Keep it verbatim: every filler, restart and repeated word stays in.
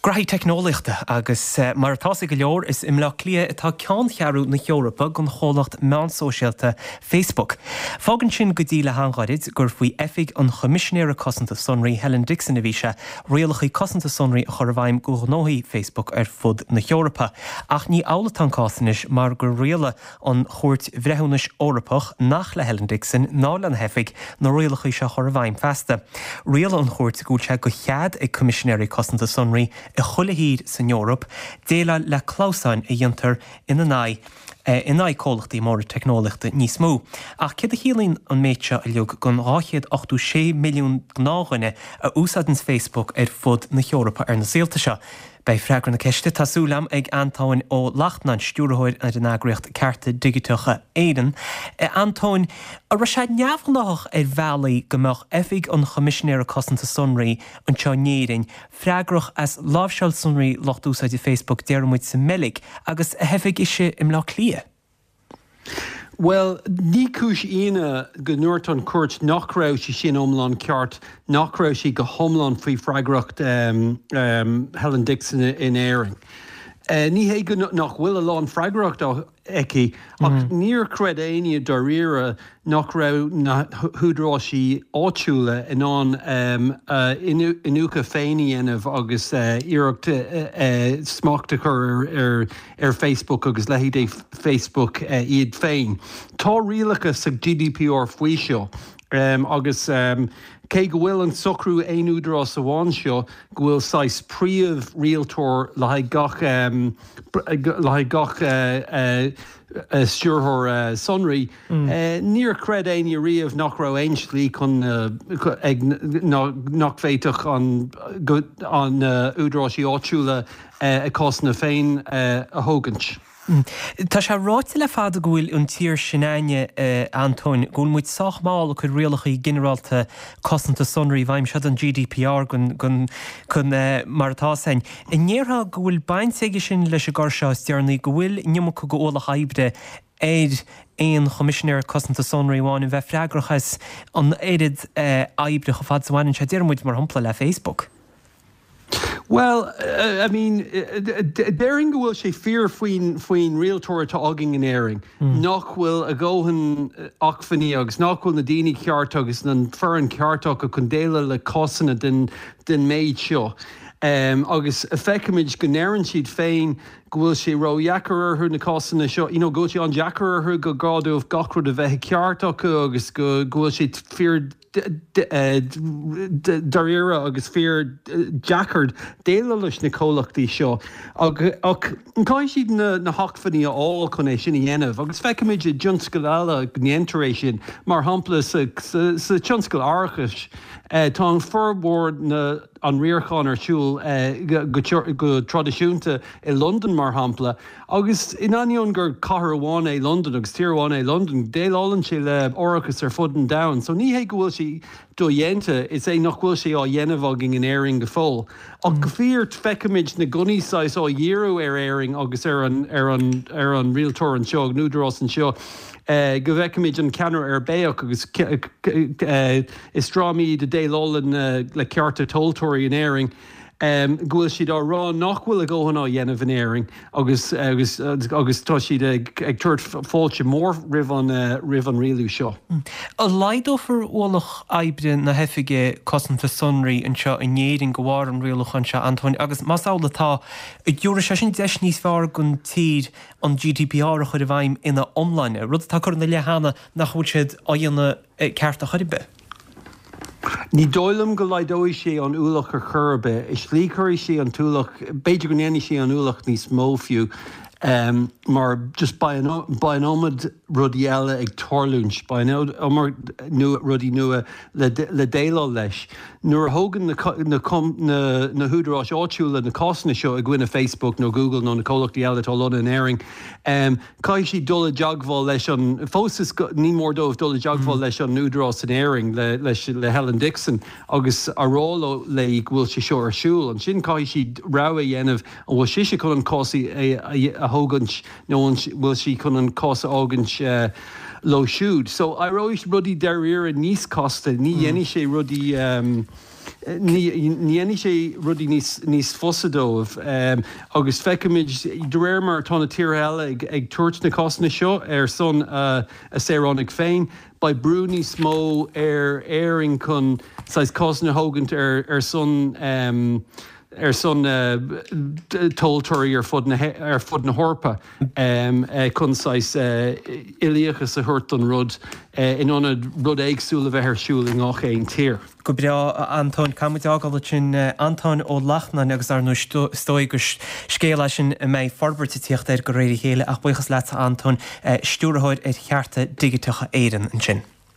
Graithí teicneolaíochta agus mar atá ag go leor is i mBleá Cliath atá ceanncheathrú na hEorpa don chomhlacht meán sóisialta Facebook. Fágann sin go dtí le han-ghairid gur faoi oifig an Choimisinéara Cosanta Sonraí Helen Dixon a bhí sé rialacha cosanta sonraí a chur i bhfeidhm do ghnóthaí Facebook ar fud na hEorpa. Ach ní amhlaidh atá an cás anois mar gur rialaigh an Chúirt Bhreithiúnais Eorpach nach le Helen Dixon ná lena hoifig na rialacha seo chur i bhfeidhm feasta. Rialaigh an chúirt go bhfuil sé de chead ag Coimisinéirí Cosanta Sonraí i chuile thír san Eoraip, déileáil le clamhsáin a dhéantar ina n-aghaidh in aghaidh comhlachtaí móra teicneolaíochta níos mó. Ach céard a chiallaíonn an méid seo uilig don dhá chéad ochtó sé milliún gnáthdhuine a úsáideann Facebook ar fud na hEorpa ar na saolta seo. Beidh freagra na ceiste tá súil agam ag Antóin Ó Lachtnáin, stiúrthóir ar an eagraíocht Cearta Digiteacha Éireann. Antóin, an raibh sé neamhghnách ar bhealaí go mbeadh oifig an Choimisinéara Cosanta Sonraí anseo in Éirinn freagrach as láimhseáil sonraí lucht úsáide Facebook déarfaidh muid sa mBeilg agus a hoifig ise i mBleá Cliath. Well, ní cúis ionadh go ndúirt an chúirt nach raibh sé sin iomlán ceart, nach raibh sé go hiomlán faoi freagracht um, um, Helen Dixon in Éirinn. Uh, ní hé go nach bhfuil a lán freagracht aici ach mm. níor chreid éinne dáiríre nach raibh na húdaráis áitiúla in ann um, uh, iniúchadh féin a dhéanamh agus uh, iarracht uh, uh, smacht a chur ar, ar, ar Facebook agus leithéidí Facebook uh, iad féin. Tá rialacha sa GDPR faoi seo. Um, agus um, cé go bhfuil an socrú aon údarás amháin seo go bhfuil saghas príomh-rialtóir le haghaidh gach um, le haghaidh gach uh, uh, uh, stiúrthóir uh, sonraí. Mm. Uh, níor chreid éinne riamh nach raibh aon slí chun uh, ag nach bhféadfadh an, an uh, údaráis áitiúla uh, a cásanna féin uh, a thógaint. Mm. Tá sé ráite le fada go bhfuil an tír sin againne Antóin, go bhfuil muid sách mall ag cur rialacha ginearálta cosanta sonraí i bhfeidhm seo an GDPR chun mar atá sin. An ndéarfá go bhfuil baint aige sin leis an gcor seo is deireanaí go bhfuil an iomarca d'ualach oibre ar aon choimisinéir cosanta sonraí amháin a bheith freagrach as an oiread oibre chomh fada is a bhaineann sé déarfaidh muid mar shampla le Facebook. Well, uh, I mean, déarfainn go bhfuil sé fíor faoin faoin rialtóir atá againn in Éirinn. Mm. Nach bhfuil a dhóthain acmhainní agus nach bhfuil na daoine ceart agus an fhoireann ceart acu chun déileáil le cásanna den, den méid seo. Um, agus feicimid go ndeireann siad féin go bhfuil sé ró-dheacair orthu na cásanna seo, you know, go bhfuil sé an-deacair orthu go gá dóibh gach rud a bheith ceart acu agus go bhfuil sé fíor dáiríre agus fíor deacair déileáil leis na comhlachtaí seo ach caithfidh siad na, na hacmhainní a fháil chun é sin a dhéanamh agus feicimid i dtionscail eile go ndéantar é sin mar shampla sa, sa, sa tionscal árachais eh, tá an formhór na an riarachán ar siúl eh, go, go, go traidisiúnta i London mar shampla agus in ainneoin gur cathair amháin é London agus tír amháin é London déileálann sé le árachas ar fud an domhain so ní hé go bhfuil sé dodhéanta is é nach bhfuil sé á dhéanamh againn in Éirinn go fóill. Ach go fíor feicimid na gunnaí saghas á dhíriú ar Éirinn agus ar an ar an ar an rialtóir anseo an údarás anseo. Uh, go bhfeicimid an ceannaire uirbeach agus uh, is drámaí de déileálann uh, le cearta tomhaltóirí in Éirinn. Um, go bhfuil siad á rá nach bhfuil a dhóthain á dhéanamh in Éirinn agus agus agus tá siad ag, ag tabhairt fáilte mór roimh an uh, roimh an rialú seo. Mm. An laghdófar ualach oibre na hoifige cosanta sonraí anseo in Éirinn de bharr an rialúcháin seo Antóin agus más amhlaidh atá an dtabharfaidh sé sin deis níos fearr don tír an GDPR a chur i bhfeidhm ina iomláine, rud atá curtha ina leith cheana nach bhfuil siad á dhéanamh ceart ar chor ar bith. Ní dóigh liom go laghdóidh sé an ualach ar chor ar bith, is slí chuirfidh sé an t-ualach, b'fhéidir go ndéanfaidh sé an ualach níos mó fiú, um, mar just beidh an iomad rudaí eile ag tarlúint, beidh an iomad rudaí nua le, le déileáil leis. Nuair a thógann na, na, na, na húdaráis áitiúla na cásanna seo i gcoinne Facebook nó Google nó na comhlachtaí eile atá lonnaithe in Éirinn, um, caithfidh siad dul i dteagmháil leis an fós is ní mór dóibh dul i dteagmháil mm. leis an údarás in Éirinn le, leis, le Helen Dixon agus a rá léi go bhfuil sé seo ar siúl. Ansin caithfidh siad rogha a dhéanamh an bhfuil sise chun an cás a thógaint nó an bhfuil sí chun an cás a fhágaint uh, leo siúd. So éireoidh rudaí dáiríre níos casta, ní mm. dhéanfaidh sé rudaí um, Ní dhéanfaidh sé rudaí níos fusa dóibh agus feicimid de réir mar atá na tíortha eile ag tabhairt na cásanna seo ar son a saoránaigh féin, beidh brú níos mó ar Éirinn chun saghas cásanna a thógaint ar son ar son tomhaltóirí ar fud na ar fud na hEorpa chun saghas uilíochas a thabhairt don rud in ionad rud éagsúil a bheith ar siúl i ngach aon tír. Go breá, a Antóin. Caithfidh muid fhágáil ansin Antóin Ó Lachtnáin agus ar ndóigh is dóigh gur scéal é sin a mbeidh forbairt ag tíocht air de réir a chéile ach buíochas leatsa a Antóin, Stiúrthóir ar Chearta Digiteacha Éireann ansin.